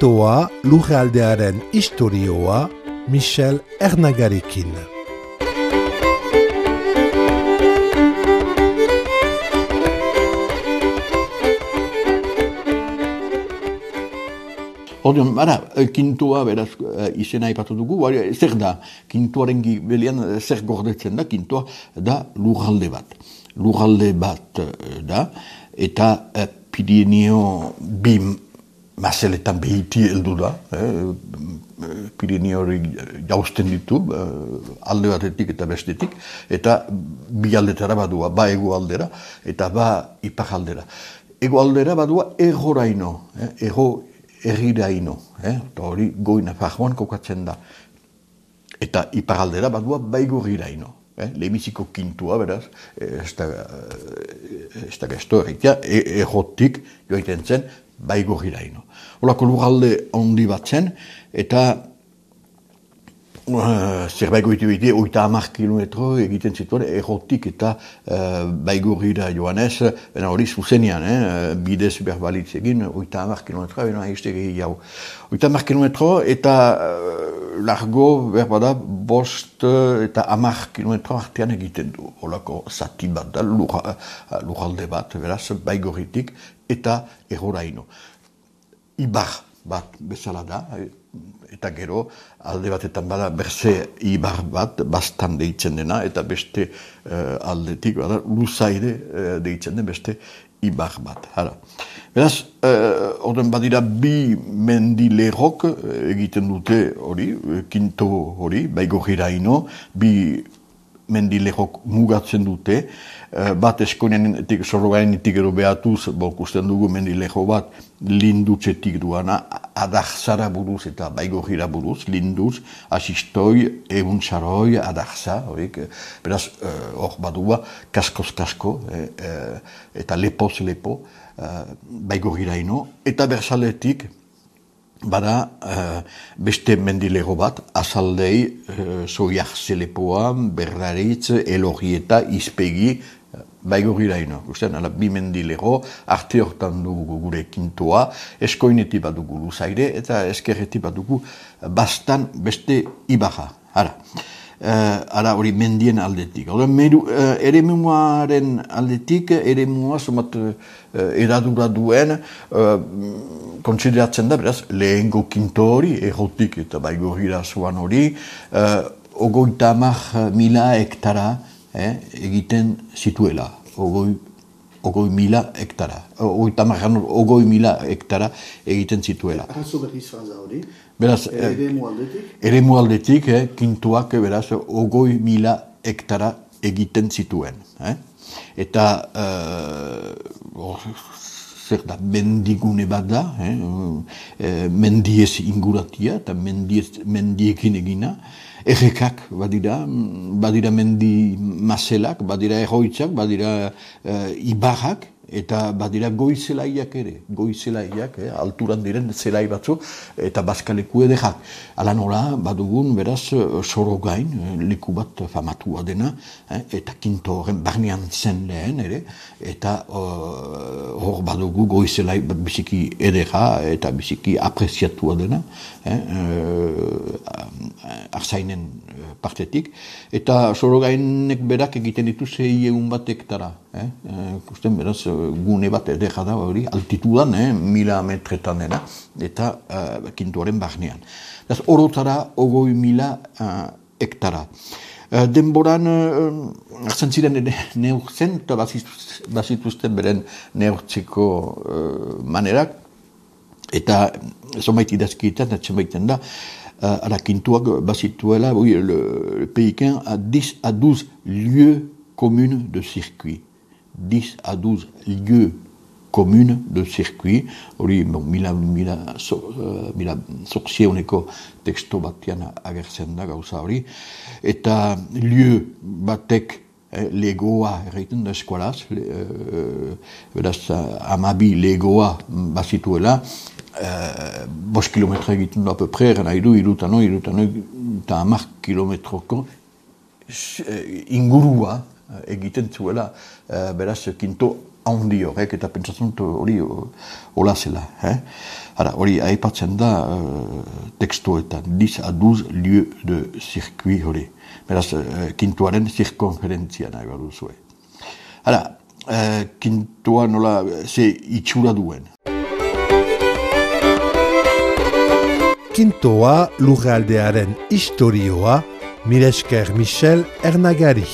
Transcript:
Kintoa lurraldearen istorioa Michel Ernagarekin. Orduan, Kintoa beraz izena aipatu dugu, zer da, Kintoaren gibelian zer gordetzen da, Kintoa da lurralde bat. Lurralde bat da, eta Pirineo bi mazeletan behiti heldu da, Pirineo hori jausten ditu, alde batetik eta bestetik, eta bi aldetara badua, ba ego aldera, eta ba ipar aldera. Ego aldera badua egoraino, erriraino, eta hori goina farroan kokatzen da. Eta iparaldera badua baigorriraino. Lehenbiziko Kintoa, beraz, ez da gesto erritia, errotik joaiten zen baigorriraino. Horako lurralde handi bat zen, eta zerbait goiti 30 kilometro egiten zituen errotik eta baigorrira joanez, hori zuzenean, bidez berbalitz egin, 30 kilometroa, bena haizte gehiago. 30 kilometro eta largo berbada 5 eta 10 kilometro artean egiten du. Horako zati bat da, lurralde bat, beraz, baigorritik eta erroraino. Ibar bat bezala da, eta gero alde batetan bada berze ibar bat, bastan deitzen dena, eta beste aldetik bada luzaide deitzen den beste ibar bat. Beraz, orden badira bi mendilerrok egiten dute hori, Kinto hori, baigorriraino, bi mendilerrok mugatzen dute, bat eskonenetik, sorrogainetik ero behatuz, bokusten dugu mendilerro bat, lindutzetik duana, adaxara buruz eta baigorrira buruz, linduz, asistoi, egun saroi, adaxa, horik, beraz, hor badua, kaskoz-kasko, eta lepoz-lepo, baigorriraino, eta bersaletik, bada beste mendilego bat, azaldei, soiak zelepoa, berraritz, elorrieta, izpegi, baigorriraino. Bi mendilego, arte hortan dugu gure Kintoa, eskoinetik bat dugu luzaire, eta eskerretik bat dugu bastan beste ibarra. Ara hori mendien aldetik. Eremuaren aldetik, eremua somat eradura duen, kontsideratzen da, beraz, lehengo Kinto hori, errotik eta baigorrira zoan hori, 30.000 hektara egiten zituela. 30.000 hektara. 30.000 hektara egiten zituela. Arrazo berriz faza hori? Beraz, eremu aldetik, Kintoak, beraz, 30.000 hektara egiten zituen. Eta, zer da, mendigune bat da, mendiez inguratia, eta mendiekin egina, errekak badira mendi mazelak, badira erroitzak, badira ibarrak, eta badira goizelaiak ere, alturan diren zelai batzu, eta bazkaleku edekak. Ala nola, badugun, beraz, Sorogain, leku bat famatua dena, eta Kinto horren barnean zen lehen ere, eta hor badugu goizelai biziki edeka, eta biziki apreziatua dena, arzainen partetik, eta Sorogainek berak egiten ditu 600 hektara. Kusten, beraz, gune bat edeka da hori, altitudan, 1000 metretan dena, eta Kintoaren barnean. Beraz, orotara 30.000 hektara. Denboran, hartzen ziren neurtzen, eta bazituzten beren neurtzeko manerak, eta zonbait idazkietan, baiten da, Kintoak bazituela, le Pékin a 10 à 12 lieux communes de circuit. 10 à 12 lieux communes de circuit. Hori, mila sortzieuneko teksto batian agertzen da gauza hori. Eta lieu batek legoa erraiten da eskualaz, beraz, 12 legoa bazituela, 5 kilometra egiten du apepre, nahi du, irutano, eta 10 kilometroko ingurua egiten zuela, beraz, Kinto handi horrek, eta pentsatzen dut hori hola zela. Hori aipatzen da tekstuetan, 10 à 12 lieux de circuit hori. Beraz, kintuaren zirkonferentzia nahi behar duzue. Kintua nola ze itxura duen. Kintoa lurraldearen istorioa, mila esker Michel Ernagari.